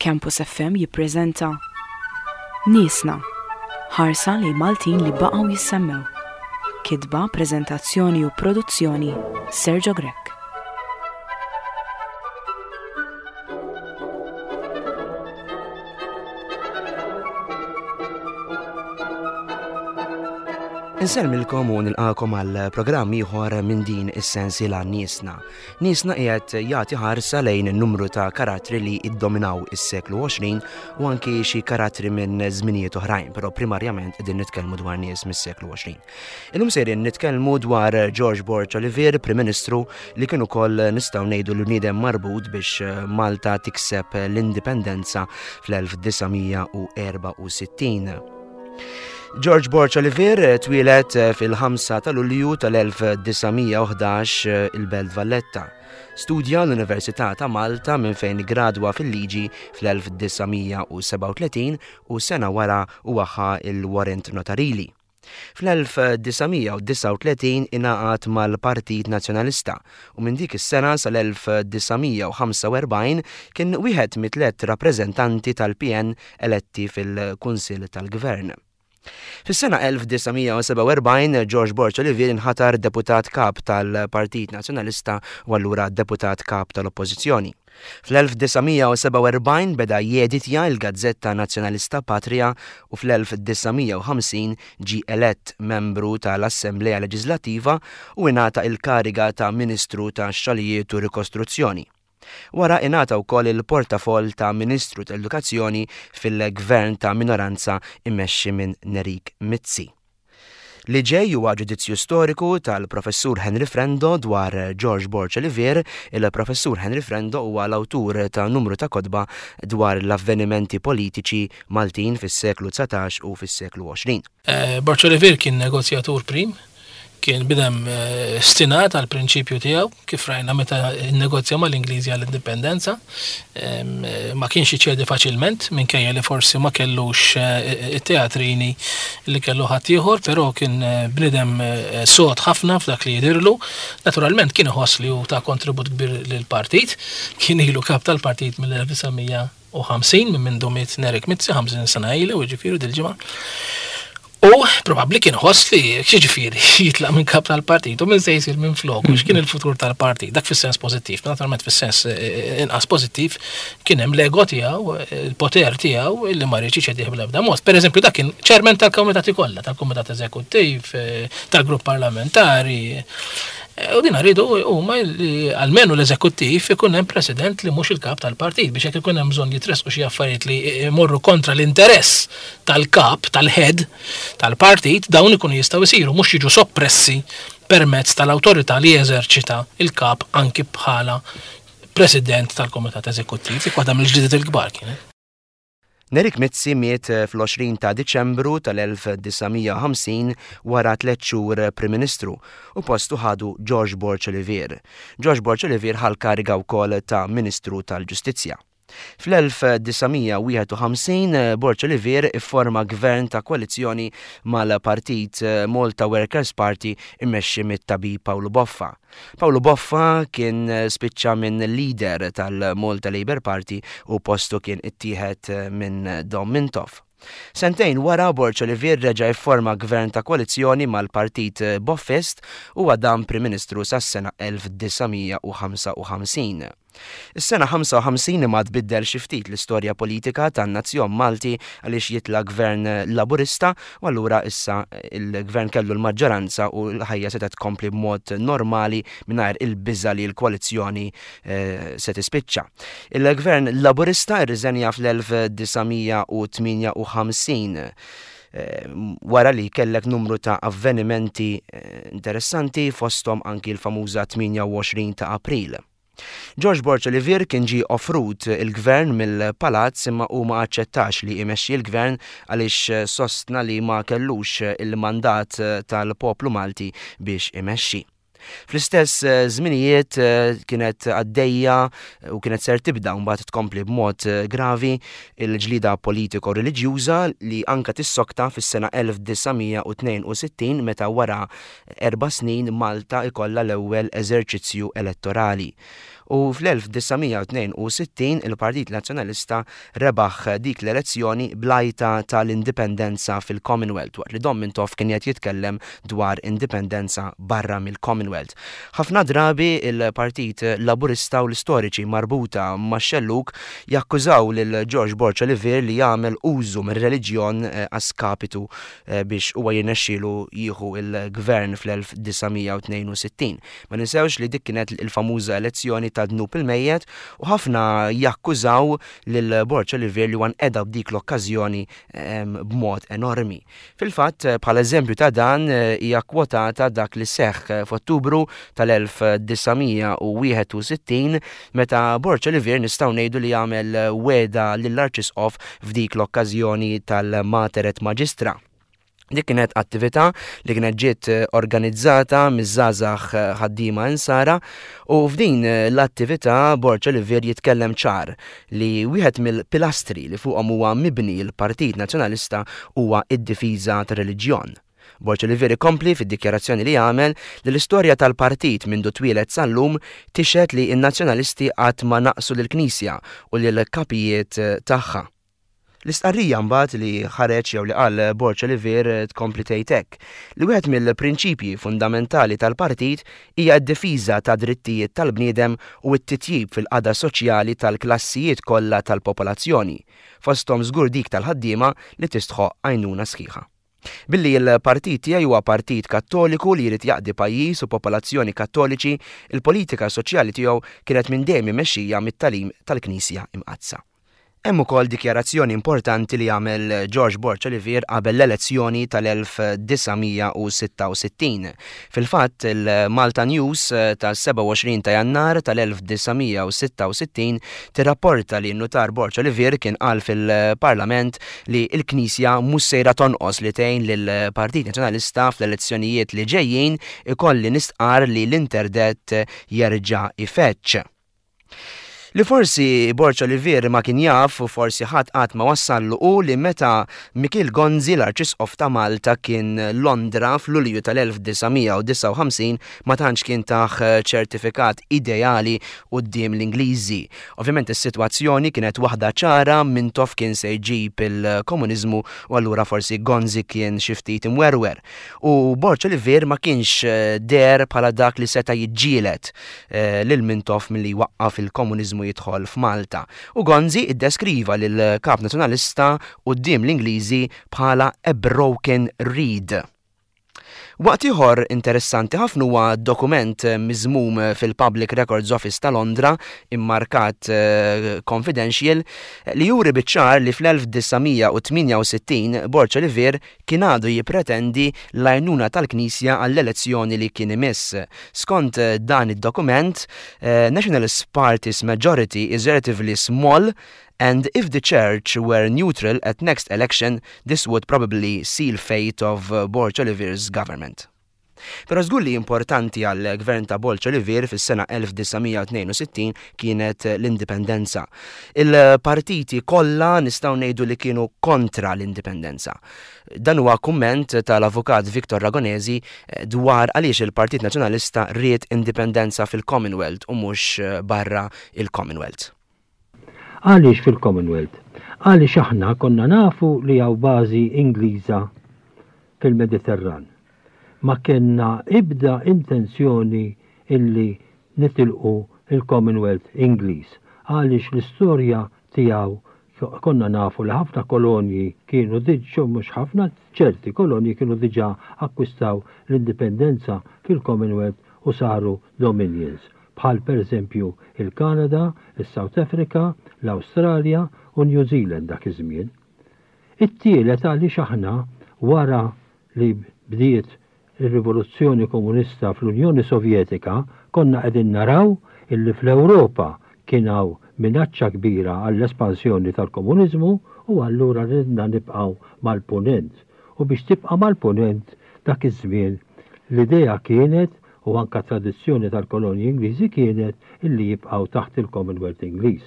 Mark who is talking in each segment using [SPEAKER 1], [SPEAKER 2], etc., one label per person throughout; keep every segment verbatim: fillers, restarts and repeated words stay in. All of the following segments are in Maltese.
[SPEAKER 1] Campus F M jippreżenta Niesna, ħarsa lejn Maltin li baqgħu jissemmew. Kitba, preżentazzjoni u produzzjoni, Sergio Grech.
[SPEAKER 2] Insellmilkom u nilqakom għal programm ieħor minn din is-sensiela Niesna. Niesna qiegħed jagħti ħarsa lejn numru ta' karattri li iddominaw is-seklu għoxrin u anki xi karattri minn żminijiet oħrajn, però primarjament qegħdin nitkellmu dwar nies mis-seklu għoxrin. Illum sejrin nitkellmu dwar George Borg Olivier, Prim Ministru li kien ukoll nistgħu ngħidu li bniedem marbut biex Malta tikseb l-indipendenza fl-elf disa' mija u erba' u sittin. George Borg Olivier twieled fil-ħamsa ta' Lulju tal-elf disa' mija u ħdax il-Belt Valletta. Studja l-Università ta' Malta minn fejn gradwa fil-liġi fl-elf disa' mija u sebgħa u tletin u sena wara huwa ħa il-warrant notarili. Fl-elf disa' mija u disgħa u tletin ingħaqad mal-Partit Nazzjonalista u minn dik is-sena sal-elf disa' mija u ħamsa u erbgħin kien wieħed mit-tliet rappreżentanti tal-P N eletti fil-Kunsill tal-Gvern. Fis-sena elf disa' mija u sebgħa u erbgħin George Borg Olivier inħatar deputat kap tal-Partit Nazzjonalista u allura deputat kap tal-Oppożizzjoni. Fl-elf disa' mija u sebgħa u erbgħin beda jeditja l-Gazzetta Nazzjonalista Patria u fl-elf disa' mija u ħamsin ġie elett membru tal-Assemblea Leġislattiva u ingħata il-kariga ta' Ministru tax-Xogħlijiet u Rikostruzzjoni. Wara ingħata wkoll il-portafoll ta' Ministru tal-Edukazzjoni fil-Gvern ta' Minoranza immexxi minn Nerik Mizzi. Li ġej huwa ġudizzju storiku tal-Professur Henry Frendo dwar George Borg Olivier. Il-Professur Henry Frendo huwa l-awtur ta' numru ta' kotba dwar l-avvenimenti politiċi Maltin fis-seklu dsatax u fis-seklu għoxrin.
[SPEAKER 3] Eh, Borg Olivier kien negozjatur prim, kien bidem, eh, stinat għal prinċipju tiegħu, kif rajna meta nnegozja mal-Ingliżi għall-indipendenza, em, eh, ma kienx iċedi faċilment, minkejja li forsi ma kellux, eh, it-teatrini li kellu ħaddieħor, però kien, eh, bniedem, eh, sod ħafna f'dak li jidirlu. Naturalment kien iħoss li hu ta' kontribut kbir lill-partit, kien ilu kap tal-partit mill-elf disa' mija u ħamsin, minn mindu miet Nerik Mizzi, ħamsin sena ilu, jiġifieri dil-ġimgħa. U probabbli kien ħoss li xiġifieri jitlaq minn kap tal-partit u minn se jsir minn flok, u x'kien il-futur tal-partit, dak fis-sens pożittiv, naturalment fis-sens, eh, eh, inqas pożittiv kien hemm l-ego tiegħu, il-poter tiegħu illi ma riedx iċedih bl-ebda mod. Per eżempju, dak kien chairman tal-komitati kollha, tal-kumitat eżekuttiv, eh, tal-grupp parlamentari. Eh, u din rridu huma li almenu l-eżekuttiv ikun hemm president li mhux il-kap tal-partit, biex jekk ikun hemm bżonn jitressqu xi affarijiet li jmorru kontra l-interess tal-kap, tal-head tal-partit, dawn ikunu jistgħu jsiru, mhux jiġu soppressi permezz tal-awtorità li jeżerċita il-kap anki bħala president tal-Komitat Eżekuttiv. Dik waħda mill-ġlidiet il-kbar kienet.
[SPEAKER 2] Nerik Mizzi miet fl-għoxrin ta' Diċembru tal-elf disa' mija u ħamsin wara tliet xhur Prim Ministru u postu ħadu George Borg Olivier. George Borg Olivier ħa l-kariga wkoll ta' Ministru tal-Ġustizzja. Fl-elf disa' mija u wieħed u ħamsin Borg Olivier ifforma gvern ta' koalizzjoni mal-partit Malta Workers' Party immexxi mit-tabib Pawlu Boffa. Pawlu Boffa kien spiċċa minn leader tal-Malta Labour Party u postu kien ittieħed minn Dom Mintoff. Sentejn wara Borg Olivier reġa' ifforma gvern ta' koalizzjoni mal-Partit Boffist u għadam Prim Ministru sas-sena elf disa' mija u ħamsa u ħamsin. Is-sena ħamsa u ħamsin imma tbiddel xi ftit l-istorja politika tan-nazzjon Malti għaliex jitla' gvern Laburista u allura issa il-gvern kellu l-maġġoranza u l-ħajja setgħet tkompli b'mod normali mingħajr il-biża' li l-koalizzjoni, eh, se tispiċċa. Il-gvern Laburista rriżenja fl-elf disa' mija u tmienja u ħamsin. Eh, wara li kellek numru ta' avvenimenti, eh, interessanti fosthom anki l-famuża tmienja u għoxrin ta' April. George Borg Olivier kien ġie offrut il-gvern mill-palazz imma hu ma aċċettax li jmexxi l-gvern għaliex sostna li ma kellux il-mandat tal-poplu Malti biex imexxi. Fl-istess żminijiet kienet għaddejja u kienet ser tibda mbagħad tkompli b'mod gravi il-ġlida politiko-reliġjuża li anka tissokta fis-sena elf disa' mija u tnejn u sittin meta wara erba' snin Malta ikollha l-ewwel eżerċizzju elettorali. U fl-elf disa' mija u tnejn u sittin il-Partit Nazzjonalista rebaħ dik l-elezzjoni bl-għajta tal-indipendenza fil-Commonwealth, waqt li Dom Mintoff kien qed jitkellem dwar indipendenza barra mill-Commonwealth. Ħafna drabi il-Partit Laburista u l-istoriċi marbuta max-xellug jakkużaw lil George Borg Olivier li jagħmel użu mir-reliġjon eh, a skapitu eh, biex huwa jirnexxielu jieħu il-gvern fl-elf disa' mija u tnejn u sittin. Ma ninsewx li dik kienet il-famuża elezzjoni ta' dnub il-mejjet u ħafna jakkużaw lil Borg Olivier li nqeda b'dik l-okkażjoni b'mod enormi. Fil-fatt, bħala eżempju ta' dan eh, hija kwotata dak li seħħ f'Ottubru tal-elf disa' mija u wieħed u sittin, meta Borg Olivier nistgħu ngħidu li jagħmel wegħda lill-Arċisqof f'dik l-okkażjoni tal-Mater et Magistra. Dik kienet attività li kienet ġiet organizzata miż-żgħażagħ ħaddiema insara u f'din l-attività Borg Olivier jitkellem ċar li wieħed mill-pilastri li fuqhom huwa mibni l-Partit Nazzjonalista huwa id-difiża tar-reliġjon. Borg Olivier ikompli fid-dikjarazzjoni li għamel li l-istorja tal-partit minn twieled sal-lum tixhed li n-nazzjonalisti qatt ma naqsu lill-Knisja u lill-kapijiet tagħha. L-istqarrija mbagħad li ħareġ jew li qal Borg Olivier tkompli tgħid hekk, li wieħed mill-prinċipji fundamentali tal-partit hija d-difiża ta' drittijiet tal-bniedem u t-titjib fil-qagħda soċjali tal-klassijiet kollha tal-popolazzjoni, fosthom żgur dik tal-ħaddiema li tistħoq għajnuna sħiħa. Billi il-partit tiegħi huwa partit kattoliku li jrid jaqdi pajjiż u popolazzjoni kattoliċi, il-politika soċjali tiegħu kienet minn dejjem imexxija mit-tagħlim tal-Knisja Imqaddsa. Hemm ukoll dikjarazzjoni importanti li għamel George Borg Olivier qabel l-elezzjoni tal-elf disa' mija u sitta u sittin. Fil-fatt, il-Malta News tas-sebgħa u għoxrin ta' Jannar tal-elf disa' mija u sitta u sittin tirrapporta li n-nutar Borg Olivier kien qal fil-Parlament li l-Knisja mhux sejra tonqos li tgħin lill-Partit Nazzjonalista fl-elezzjonijiet li ġejjin, ikolli nistqar li l-interdett jerġa' ifeġġ. Li forsi Borg Olivier ma kien jaf u forsi ħadd qatt ma wassallu u li meta Mikiel Gonzi, l-Arċisqof ta' Malta, kien Londra fl-Lulju tal-elf disa' mija u disgħa u ħamsin, ma tantx kien tah ċertifikat ideali quddiem l-Ingliżi. Ovvjament is-sitwazzjoni kienet waħda ċara, Mintoff kien se jġib il-komuniżmu u allura forsi Gonzi kien xi ftit imwerwer. U Borg Olivier ma kienx deher bħala dak li seta' jiġġieled eh, lil Mintoff milli waqqaf il-komuniżmu jidħol f'Malta. U Gonzi iddeskriva lil kap nazzjonalista quddiem l-Ingliżi bħala "a broken reed". Waqt ieħor interessanti ħafna huwa dokument miżmum fil-Public Records Office ta' Londra, immarkat uh, confidential, li juri biċ-ċar li fl-elf disa' mija u tmienja u sittin Borg Olivier kien għadu jipretendi l-għajnuna tal-Knisja għall-elezzjoni li kien imiss. Skont dan id-dokument, uh, "Nationalist Party's majority is relatively small and if the church were neutral at next election, this would probably seal fate of uh, Borg Olivier's government." Però żgur li importanti għal gvern ta' Borg Olivier fis-sena elf disa' mija u tnejn u sittin kienet l-indipendenza. Il-partiti kollha nistgħu ngħidu li kienu kontra l-indipendenza. Dan huwa kumment tal-avukat Victor Ragonesi eh, dwar għaliex il-Partit Nazzjonalista ried indipendenza fil-Commonwealth u mhux eh, barra il-Commonwealth.
[SPEAKER 4] Għaliex fil-Commonwealth? Għaliex aħna konna nafu li hawn bażi Ingliża fil-Mediterran. Ma kellna ebda intenzjoni illi nitilqu il-Commonwealth Ingliż. Għaliex l-istorja tiegħu konna nafu li ħafna kolonji kienu diġà, mhux ħafna, ċerti kolonji kienu diġà akkwistaw l-indipendenza fil-Commonwealth u saru dominions, bħal per eżempju il-Kanada, il-South Africa, l-Australia u New Zealand dak iż-żmien. It-tielet, għaliex aħna wara li bdiet ir-rivoluzzjoni komunista fl-Unjoni Sovjetika konna qegħdin naraw illi fl-Ewropa kien hawn minaċċa kbira għall-espansjoni tal-komuniżmu u allura ridna nibqgħu mal-punent. U biex tibqa' mal-punent dak iż-żmien, l-idea kienet u anka tradizzjoni tal-kolonji Ingliżi kienet illi jibqgħu taħt il-Commonwealth Ingliż.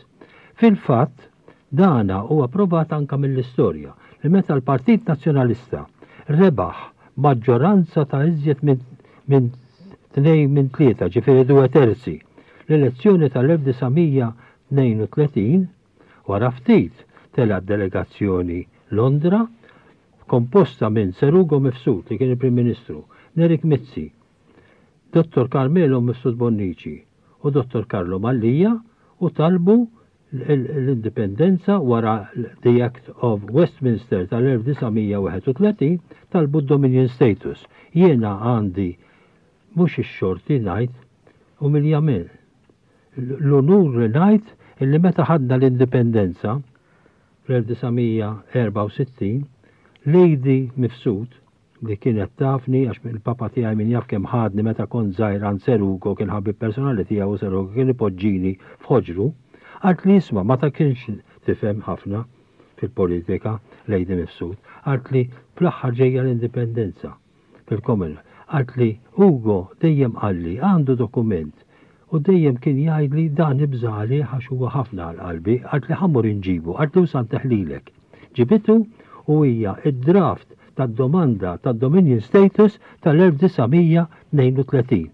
[SPEAKER 4] Fil-fatt, dana huwa provat anka mill-istorja li meta l-Partit Nazzjonalista rebaħ maġġoranza ta' iżjed minn minn tnejn minn tlieta, ġifieri due terzi, L-elezzjoni tal-elf disa' mija tnejn u tletin, wara ftit telgħet delegazzjoni Londra komposta minn Sir Ugo Mifsud li kien il-Prim Ministru, Nerik Mizzi, Dottor Carmelo Mifsud Bonnici u Dottor Carlo Mallia u talbu l-indipendenza wara the Act of Westminster tal-elf disa' mija wieħed u tletin, talbu d-Dominion status. Jiena għandi mhux ix-xorti ngħid umiljament l-unur li ngħid illi meta ħadna l-indipendenza fl-elf disa' mija erbgħa u sittin, Lady Mifsud li kienet tafni għax il-papa tiegħi min jaf kemm ħadni meta kont żgħir għand Sir Ugo, kien ħabib personali tiegħu u Sir Ugo kien ipoġġini f'ħoġru, qalt li isma' ma ta' kienx tifhem ħafna fil-politika Lady Mifsud, qalt li fl-aħħar ġejja l-indipendenza fil-Commonwealth. Qalt li Ugo dejjem qalli għandu dokument u dejjem kien jgħidli dan ibżali għax huwa ħafna għal qalbi, qalt li ħammur inġibu, qalt li usan teħlilek. Ġibitu u hija id-draft tad-domanda tad-Dominion status tal-elf disa' mija tnejn u tletin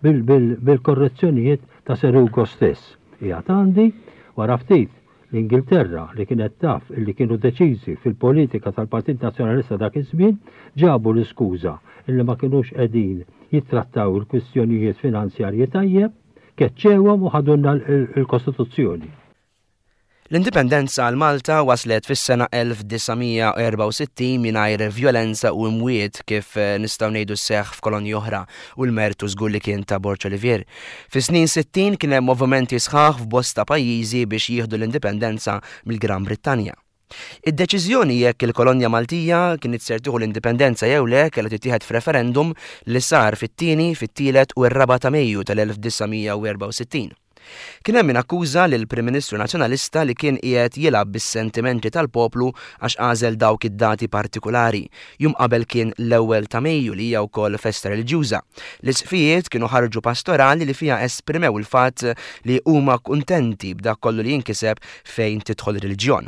[SPEAKER 4] bil-, bil-, bil-korrezzjonijiet ta' Sir Ugo stess. Hija għandi wara ftit l-Ingilterra li kienet taf illi kienu deċiżi fil-politika tal-Partit Nazzjonalista dak iż-żmien ġabu l-iskuża illi ma kinux qegħdin jittrattaw il-kwistjonijiet finanzjarji tajjeb, keċċewhom u ħadulna l-, il-, il-Kostituzzjoni.
[SPEAKER 2] L-indipendenza għal Malta waslet fis-sena elf disa' mija erbgħa u sittin mingħajr vjolenza u imwiet kif, eh, nistgħu ngħidu seħħ f'kolonji oħra u l-mertu żgur li kien ta' Borg Olivier. Fis-snin sittin kien hemm movimenti sħaħ f'bosta pajjiżi biex jieħdu l-indipendenza mill-Gran Brittanja. Id-deċiżjoni jekk il-kolonja Maltija kienet ser tieħu l-indipendenza jew le kellha tittieħed f'referendum li sar fit-tieni, fit-tielet u r-raba' ta' Mejju tal-elf disa' mija u erbgħa u sittin. Kien hemm min akkuża lill-Prim Ministru Nazzjonalista li kien qiegħed jilgħab bis-sentimenti tal-poplu għax għażel dawk id-dati partikulari. Jum qabel kien l-ewwel ta' Mejju li hija wkoll festa reliġjuża. L-isqfijiet kienu ħarġu pastorali li fiha esprimew il-fatt li huma kuntenti b'dak kollu li jinkiseb fejn tidħol ir-reliġjon.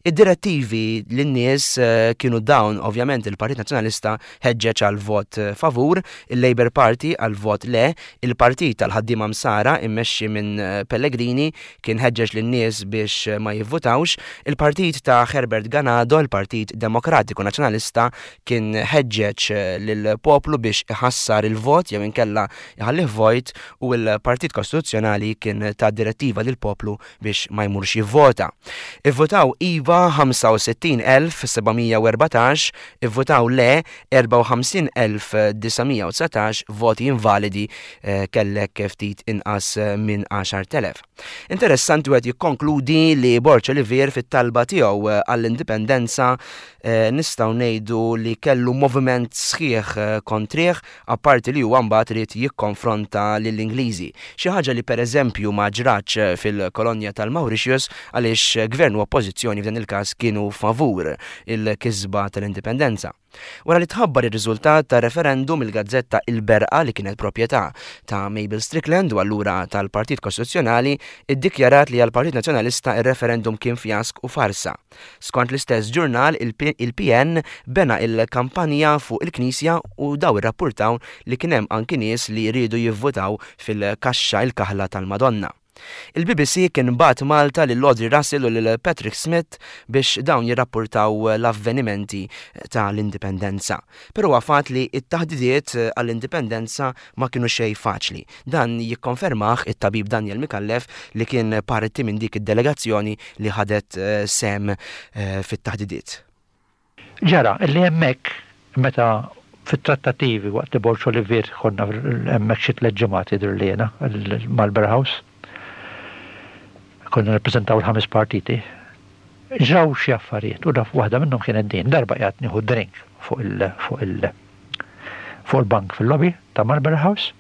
[SPEAKER 2] Id-direttivi lin-nies, eh, kienu dawn, ovvjament il-Partit Nazzjonalista ħeġġeġ għal vot, eh, favur, il-Labour Party għal vot le, il-Partit tal-Ħaddiema Msara immexxi minn, eh, Pellegrini kien ħeġġeġ lin-nies biex, eh, ma jivvutawx, il-Partit ta' Herbert Ganado, il-Partit Demokratiku Nazzjonalista, kien ħeġġeġ, eh, lill-poplu biex iħassar il-vot jew inkella iħallih vojt, u l-Partit Kostituzzjonali kien ta' direttiva lill-poplu biex ma jmurx jivvota. Ivvutaw Iva ħamsa u sittin elf seba' mija u erbatax, ivvutaw le erbgħa u ħamsin elf disa' mija u dsatax, voti invalidi, eh, kellek ftit inqas minn għaxar telef. Interessanti wieħed jikkonkludi li Borg Olivier fit-talba tiegħu, eh, għall-indipendenza, eh, nistgħu ngħidu li kellu moviment sħiħ, eh, kontrih, apparti li huwa mbagħad irid jikkonfronta lill-Ingliżi. Xi ħaġa li pereżempju ma ġratx fil-kolonja tal-Mauritius għaliex gvern u oppożizzjoni f'dan il-każ kienu favur il-kisba tal-indipendenza. Wara li tħabbar ir-riżultat ta' referendum, il-gazzetta Il-Berqa li kienet proprjetà ta' Mabel Strickland u allura tal-Partit Kostituzzjonali iddikjarat li għall-Partit Nazzjonalista ir-referendum kien fjask u farsa. Skont l-istess ġurnal, il-P-, il-P N bena il-kampanja fuq il-Knisja u daw irrappurtaw li kien hemm anki nies li jridu jivvutaw fil-kaxxa il-kaħla tal-Madonna. Il-B B C kien bat Malta lil Audrey Russell u lil Patrick Smith biex dawn jirrapportaw l-avvenimenti tal-indipendenza. Però huwa fatt li t-taħdidiet għall-indipendenza ma kienu xejn faċli. Dan jikkonfermah it-tabib Daniel Micallef li kien parti minn dik id-delegazzjoni li ħadet, eh, sem, eh, fit-taħdidiet.
[SPEAKER 5] Ġara, li hemmhekk meta fit-trattativi waqt li Borg Olivier konna hemmhekk xi tliet ġimgħat jidher li jiena Marlborough House. Konna nirrappreżentaw il-ħames partiti. Ġraw xi affarijiet u daf waħda minnhom kienet din, darba qiegħed nieħu drink fuq il-, fuq il-, fuq il-bank fil-lobby ta' Marlborough House.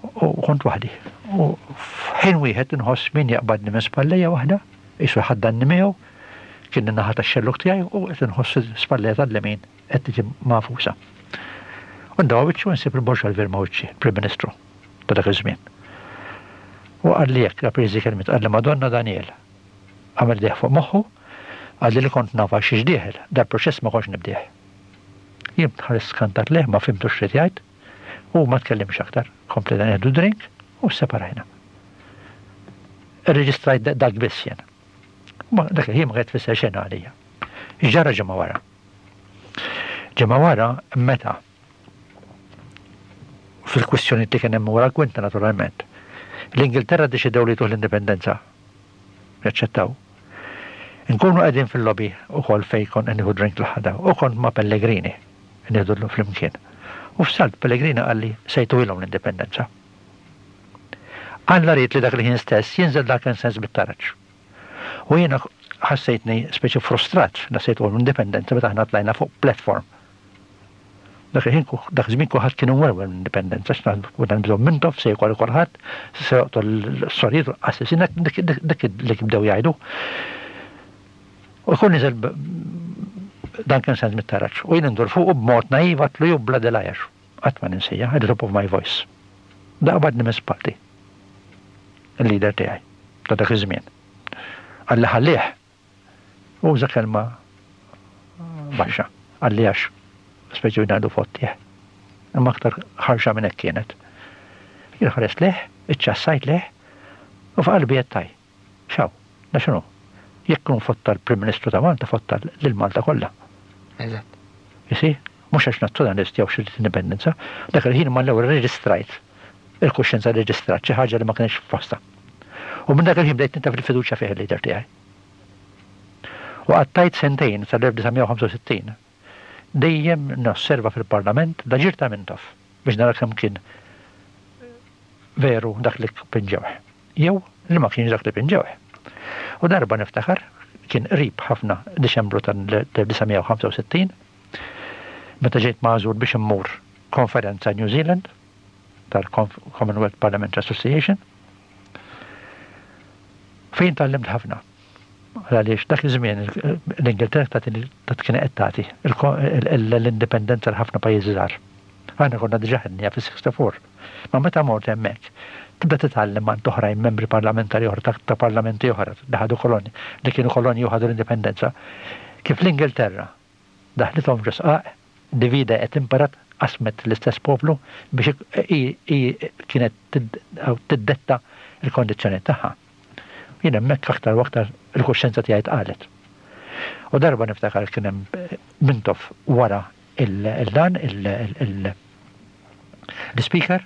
[SPEAKER 5] U kont waħdi. U f'ħin wieħed inħoss min jaqbadni minn spallejja waħda, qisu ħaddanni miegħu, kien in-naħa tax-xelluk tiegħi u qed inħoss spallejja tal-lemin qed tiġi magħfusa. U ndawa wiċċu nsib il-Borg Olivier ma' wiċċi, Prim Ministru ta' dak iż-żmien. U qal li hekk, rappreżi kelmiet, qal li Madonna Daniel. Għamel deħ fuq moħħu, qal li li kont nafa xiex dieħel, dal-proċess ma kontx nibdih. Jien tħares skantat leh, ma fimtux x'rid jgħid, u ma tkellimx aktar. Kompli dan nieħdu drink U separajna. Irreġistrajt dak biss jien. Ma dak il-ħin ma kienet tfisser xejn għalija. Ġara ġimgħa wara. Ġimgħa wara meta fil-kwistjoni li kien hemm wara l-kwinta naturalment. L-Ingilterra ddeċidew li tuh l-indipendenza. Jaċċettaw. Nkunu qegħdin fil-lobby ukoll fejn kont nieħu drink l-ħada u kont ma' Pellegrini nieħdu flimkien. U f'salt Pellegrini qalli se jtuhilhom l-indipendenza. Alla ried li dak il-ħin stess jinżel dak sens bit-taraġ. U jiena ħassejtni speċi frustrat la se jtuhom l-indipendenza meta aħna tlajna fuq platform. Dak il-ħin dak iż-żmien kulħadd kien imwerwer l-indipendenza, x'naħdu dan bżonn Mintoff se jkoll kulħadd, se joqtol l-sorijiet u l-qassisin, dik li bdew jgħidu. U jkun niżel Duncan Sands mit-taraġ. U jien indur fuq u b'mod naiv għedtlu you bloody liar. Qatt ma ninsija, at the top of my voice. Da qabadni minn spalti. Il-leader tiegħi ta' dak iż-żmien. Qalli ħallih. Uża kelma baxxa. Qalli għax speċi ngħidu fottih. Imma aktar ħarxa minn hekk kienet. Jien ħares leh, iċċassajt leh, u f'qalbi qed taj. Xaw, da x'inhu? Jekk kun fotta l-Prim Ministru ta' Malta, fotta lil Malta kollha.
[SPEAKER 2] Eżatt.
[SPEAKER 5] You Mhux għax nazzjonalist jew xi indipendenza, dak il-ħin ma l-ewwel reġistrajt. Il-kuxjenza reġistrat xi ħaġa li ma kienx f'posta. U minn dak il-ħin bdejt ninta fil-fiduċja fih il-leader tiegħi. U qattajt sentejn sal-elf disa' mija u ħamsa u sittin dejjem nosserva fil-Parlament l-aġir ta' Mintoff biex nara kemm kien veru dak li pinġewh. Jew li ma kienx dak li pinġewh. U darba niftakar kien qrib ħafna Diċembru tal-elf disa' mija u ħamsa u sittin meta ġejt magħżul biex immur konferenza New Zealand tal-Commonwealth Parliamentary Association fejn tgħallimt ħafna. Għaliex dak iż-żmien l-Ingilterra ta' kien qed tagħti l-indipendenza l ħafna pajjiżi żgħar. Aħna konna diġà ħadniha fis-sixty-four. Ma meta mort hemmhekk, tibda titgħallem ma' oħrajn membri parlamentari oħra ta' parlamenti oħra li ħadu koloni, li kienu kolonji u ħadu l-indipendenza. Kif l-Ingilterra daħlithom ġo sqaq, divide et impera, qasmet l-istess poplu biex kienet tiddetta il-kondizzjoni tagħha. Jien hemmhekk aktar u aktar il-kuxjenza tiegħi tqalet. U darba niftakar kien hemm Mintoff wara il-dan l-speaker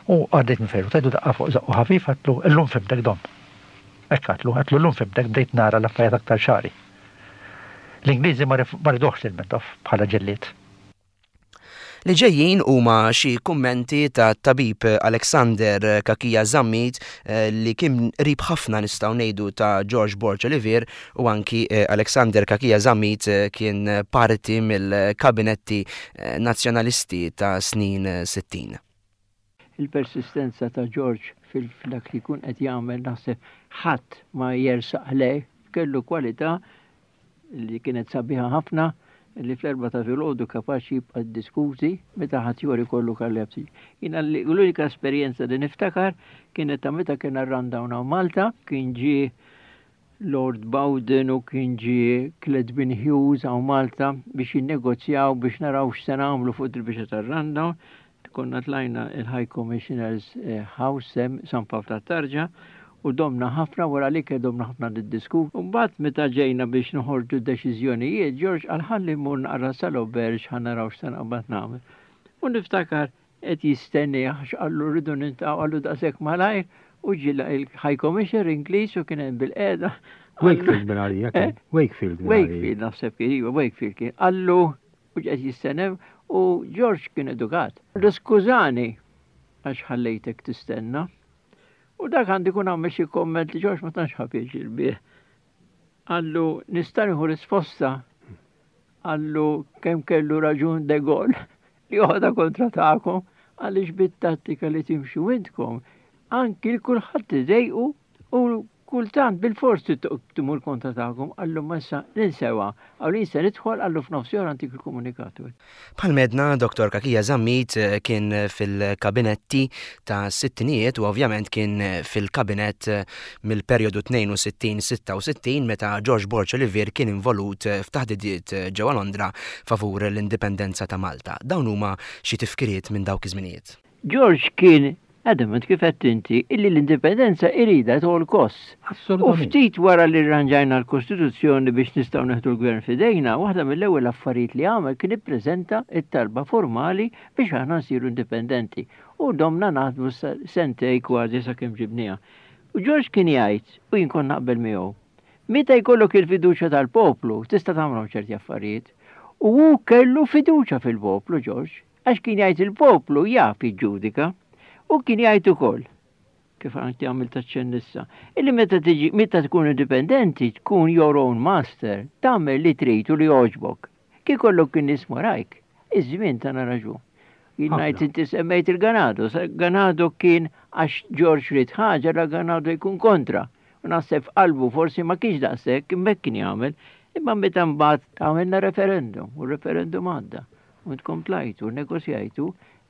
[SPEAKER 5] u għaddejt minn fejn. Tajtu daqqa fuq żaqqu ħafif, għedtlu illum fhimtek, Dom. Hekk għedtlu, għedtlu llum fhimtek, bdejt nara l-affarijiet aktar ċari. L-Ingliżi ma riduhx lil Mintoff bħala ġellied.
[SPEAKER 2] Li ġejjin huma xi kummenti ta' tabib Alexander Cachia Zammit eh, li kien qrib ħafna, nistgħu ngħidu, ta' George Borg Olivier u anki eh, Alexander Cachia Zammit eh, kien parti mill-kabinetti nazzjonalisti ta' snin sittin.
[SPEAKER 6] Il-persistenza ta' George fil-dak li kun qed jagħmel naħseb ħadd ma jersaq lej, kellu kwalità li kienet sabiħa ħafna li fl-erbgħa ta' filgħodu kapaċi jibqa' diskuti meta ħadd jori kollu kallepsi. Jiena l-unika esperjenza li niftakar kienet ta' meta kien rundown Malta, kien ġie Lord Bowden u kien ġie Cledwyn Hughes hawn Malta biex jinnegozjaw biex naraw x'se nagħmlu fuq il-biċċa tar-rundown. Konna tlajna il-High Commissioner's eh, House San Pawl ta' u domna ħafna wara li domna ħafna niddiskutu. Mbagħad meta ġejna biex noħorġu deċiżjonijiet, George qal ħalli mmur naqra sal-auberge ħa naraw x'se naqbad nagħmel. U niftakar qed jistenni għax qallu rridu niltaqgħu, qallu daqshekk malajr, u ġie il-High Commissioner Ingliż u kien hemm bil-qiegħda.
[SPEAKER 4] Wakefield minn għalija kien.
[SPEAKER 6] Eh?
[SPEAKER 4] Wakefield.
[SPEAKER 6] Wakefield naħseb kien, iva, Wakefield kien. Qallu u qed jistennew u George kien edukat. Skużani għax ħallejtek tistenna. U dak għandi kun għamel xi komment li George ma tantx ħa pjaċir bih. Qallu nista' nieħu risposta. Qallu kemm kellu raġun De Gaulle li joħodha kontra tagħkom għaliex bit-tattika li timxu intkom anki l-kulħadd idejqu u kultant bil-fors timur kontra tagħkom. Qallu ma issa ninsewa. Qallu se nidħol, qallu f'nofs antik il-komunikatu.
[SPEAKER 2] Bħalma għedna, Dottor Cachia Zammit eh, kien fil-kabinetti ta' sittinijiet u ovvjament kien fil-kabinett eh, mill-perjodu tnejn u sittin sitta u sittin meta George Borg Olivier kien involut eh, f'taħdidiet ġewwa Londra favur l-indipendenza ta' Malta. Dawn huma xi tifkiriet minn dawk iż-żminijiet.
[SPEAKER 6] George kien adamant kif qed inti illi l-indipendenza irida at all costs. U
[SPEAKER 4] Assolutament.
[SPEAKER 6] ftit wara li rranġajna l-Kostituzzjoni biex nistgħu neħdu l-gvern fidejna, waħda mill-ewwel affarijiet li għamel kien ippreżenta it-talba formali biex aħna nsiru indipendenti. U domna naħdmu sa- sentej kważi sakemm ġibniha. U George kien jgħid, u jien kont naqbel miegħu, meta jkollok il-fiduċja tal-poplu, tista' tagħmlhom ċerti affarijiet. U hu kellu fiduċja fil-poplu, George, għax kien jgħid il-poplu jaf jiġġudika. U kien jgħid ukoll, kif għanti għamil taċċen issa, illi meta tiġi, meta tkun indipendenti, tkun your own master, tagħmel li trid u li jogħġbok. Kif kollok kien nies warajk, iż-żmien tana raġun. Jien
[SPEAKER 4] Ħafna.
[SPEAKER 6] ngħid inti semmejt il-Ganado, sa- Ganado kien għax George ried ħaġa la Ganado jkun kontra. U naħseb f'qalbu forsi ma kienx daqshekk, imma hekk kien jagħmel, imma meta mbagħad għamilna referendum, u referendum għadda. U intkom tlajtu, negozjajtu,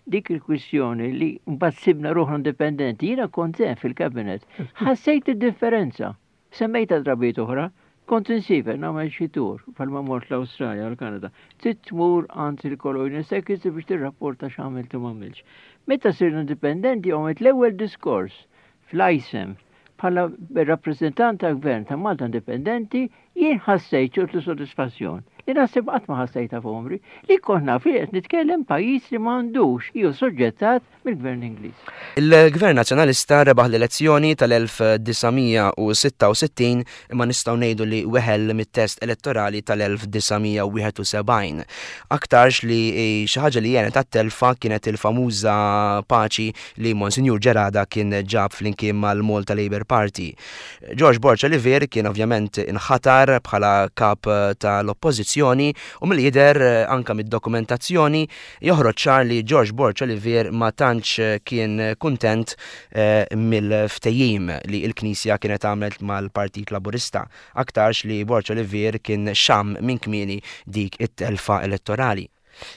[SPEAKER 6] dik il-kwistjoni li mbagħad sibna ruħna indipendenti, jiena kont hemm fil-kabinet. Ħassejt id-differenza. Semmejta drabiet oħra, kont insiefer nagħmel xi tour bħalma mort l-Awstralja u l-Kanada. Trid tmur għand il-Colonial Secretary biex tirrapporta x'għamilt u m'għamilx. Meta sirna indipendenti għamilt l-ewwel diskors fl-ISEM bħala rappreżentant tal-gvern ta' Malta Indipendenti, jien ħassejt ċertu sodisfazzjon. Li naħseb qatt ma ħassejta f'għomri, li kont naf li qed nitkellem pajjiż li m'għandux jew soġġettat mill-gvern Ingliż.
[SPEAKER 2] Il-Gvern Nazzjonalista rebaħ l-elezzjoni tal-elf disa' mija u sitta u sittin imma nistgħu ngħidu li weħel mit-test elettorali tal-elf disa' mija u wieħed u sebgħin. Aktarx li xi ħaġa li għenet għat-telfa kienet il-famuża paċi li Monsinjur Gerada kien ġab flimkien mal-Malta Labour Party. George Borg Olivier kien ovvjament inħatar bħala kap tal-oppożizzjoni u mill-jidher anka mid-dokumentazzjoni joħroġ ċar li George Borg Olivier ma tantx kien kuntent eh, mill-ftehim li l-Knisja kienet għamlet mal-Partit Laburista. Aktarx li Borg Olivier kien xam minn kmieni dik it-telfa elettorali.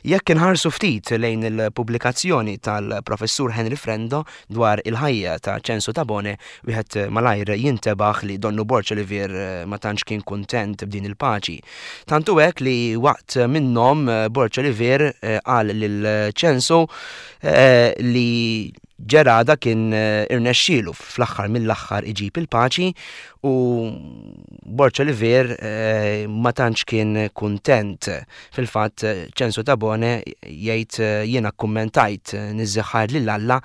[SPEAKER 2] Jekk inħarsu ftit lejn il-pubblikazzjoni tal-professur Henry Frendo dwar il-ħajja ta' Ċensu Tabone, wieħed malajr jintebaħ li donnu Borg Olivier eh, ma tantx kien kuntent b'din il-paċi. Tantu hekk li waqt minnhom eh, Borg Olivier eh, qal lil Ċensu eh, li Gerada kien eh, irnexxielu fl-aħħar mill-aħħar iġib il-paċi u Borg Olivier eh, ma tantx kien kuntent. Fil-fatt Ċensu Tabone jgħid eh, jiena kkummentajt niżżiħħar lil Alla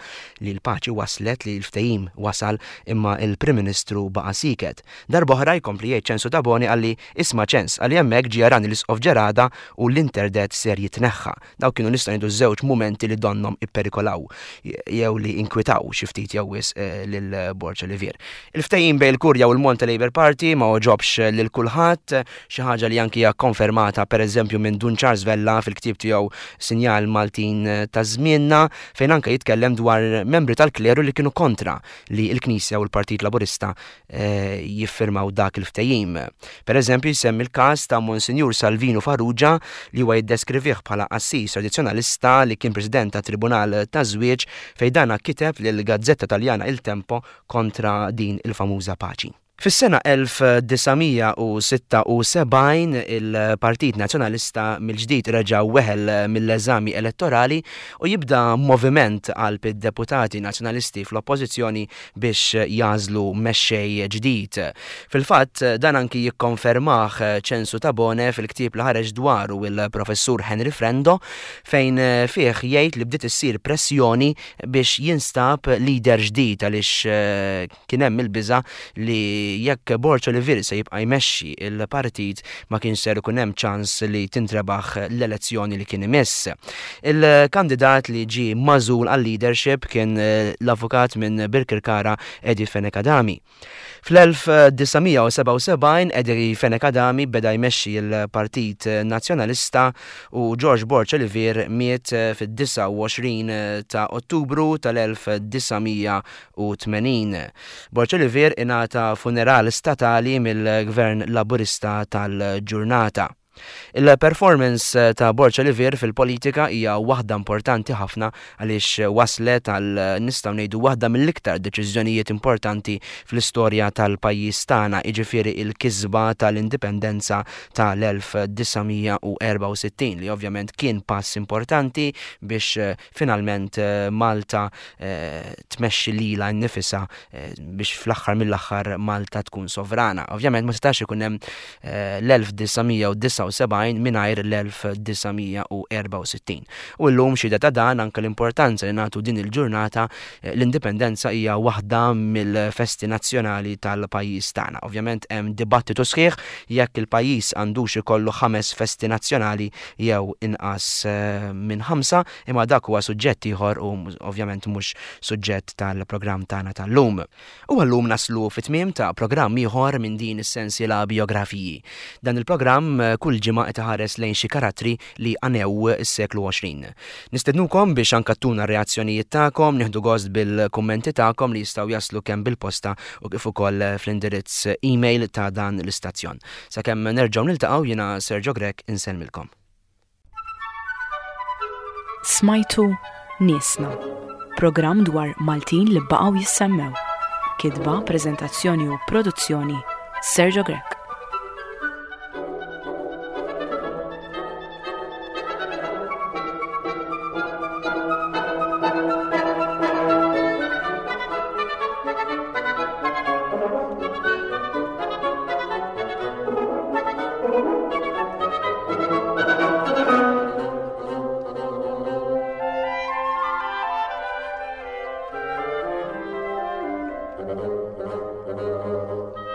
[SPEAKER 2] li l-paċi waslet, li l-ftehim wasal, imma il-Prim Ministru baqa' siket. Darb'oħra jkompli jgħid Ċensu Tabone qalli, "Isma' Ċens," qalli, "hemmhekk ġie jarani l-Isqof Gerada u l-interdett ser jitneħħa." Daw kienu nistgħu ngħidu żewġ mumenti li donnom ipperikolaw jew li inkwitaw xi ftit jew wisq eh, lil Borg Olivier. Il-ftehim bejn il-Kurja u l-Malta Labour Party ma għoġobx lil kulħadd, xi ħaġa li anki hija konfermata pereżempju minn Dun Charles Vella fil-ktieb tiegħu Sinjal Maltin ta' Żmienna, fejn anke jitkellem dwar membri tal-kleru li kienu kontra li l-Knisja u l-Partit Laburista eh, jiffirmaw dak il-ftehim. Per eżempju jsemmi l-każ ta' Monsinjur Salvino Farrugia li huwa jiddeskrivih bħala qassis tradizzjonalista li kien president ta' Tribunal ta' Żwieġ, fejn dana kiteb lil gazzetta Taljana Il Tempo kontra din il-famuża paċi. Fis-sena elf disa' mija u sitta u sebgħin il-Partit Nazzjonalista mill-ġdid reġa' weħel mill-eżami elettorali u jibda moviment għal id-deputati nazzjonalisti fl-oppożizzjoni biex jagħżlu mexxej ġdid. Fil-fatt dan anki jikkonfermah Ċensu Tabone fil-ktieb li ħareġ dwaru il-professur Henry Frendo, fejn fih jgħid li bdiet issir pressjoni biex jinstab leader ġdid għaliex eh, kien hemm il-biża li jekk Borg Olivier se jibqa' jmexxi il-partit ma kienx ser ikun hemm ċans li tintrebaħ l-elezzjoni li kien imiss. Il-kandidat li ġie magħżul għal-leadership kien eh, l-avukat minn Birkirkara Eddie Fenech Adami. Fl-elf disa' mija u sebgħa u sebgħin Eddie Fenech Adami beda jmexxi l-Partit Nazzjonalista u George Borg Olivier miet fid-disgħa u għoxrin ta' Ottubru tal-elf disa' mija u tmenin. Borg Olivier ingħata funeral statali mill-Gvern Laburista tal-ġurnata. Il-performance ta' Borg Olivier fil-politika hija waħda importanti ħafna għaliex waslet għal, nistgħu ngħidu, waħda mill-iktar deċiżjonijiet importanti fl-istorja tal-pajjiż tagħna, jiġifieri il-kisba tal-indipendenza tal-elf disa' mija u erbgħa u sittin, li ovvjament kien pass importanti biex, eh, finalment, eh, Malta, eh, tmexxi lilha nnifisha, eh, biex fl-aħħar mill-aħħar Malta tkun sovrana. Ovvjament ma setax ikun hemm, eh, l-elf disa' mija u disgħa u sebgħin mingħajr l-elf disa' mija u erbgħa u sittin. U llum xhieda ta' dan anke l-importanza li nagħtu din il-ġurnata, eh, l-indipendenza hija waħda mill-festi nazzjonali tal-pajjiż tagħna. Ovvjament hemm dibattitu sħiħ jekk il-pajjiż għandux ikollu ħames festi nazzjonali jew inqas, eh, minn ħamsa, imma dak huwa suġġett ieħor u mhux, ovvjament mhux suġġett tal-programm tagħna tal-lum. U għallum naslu fit-tmiem ta' programm ieħor minn din is-sensiela biografiji. Dan il-programm, eh, kull ġimgħa qed iħares lejn xi karattri li għanew is-seklu għoxrin. Nistednukom biex anke tuna r-reazzjonijiet tagħkom, nieħdu gost bil-kummenti tagħkom li jistgħu jaslu kemm bil-posta u kif ukoll fl-indirizz email ta' dan l-istazzjon. Sakemm nerġgħu niltaqgħu, jiena Sergio Grech insellmilkom.
[SPEAKER 1] Smajtu Niesna, programm dwar Maltin li baqgħu jissemmew. Kitba, preżentazzjoni u produzzjoni Sergio Grech.
[SPEAKER 7] Thank you.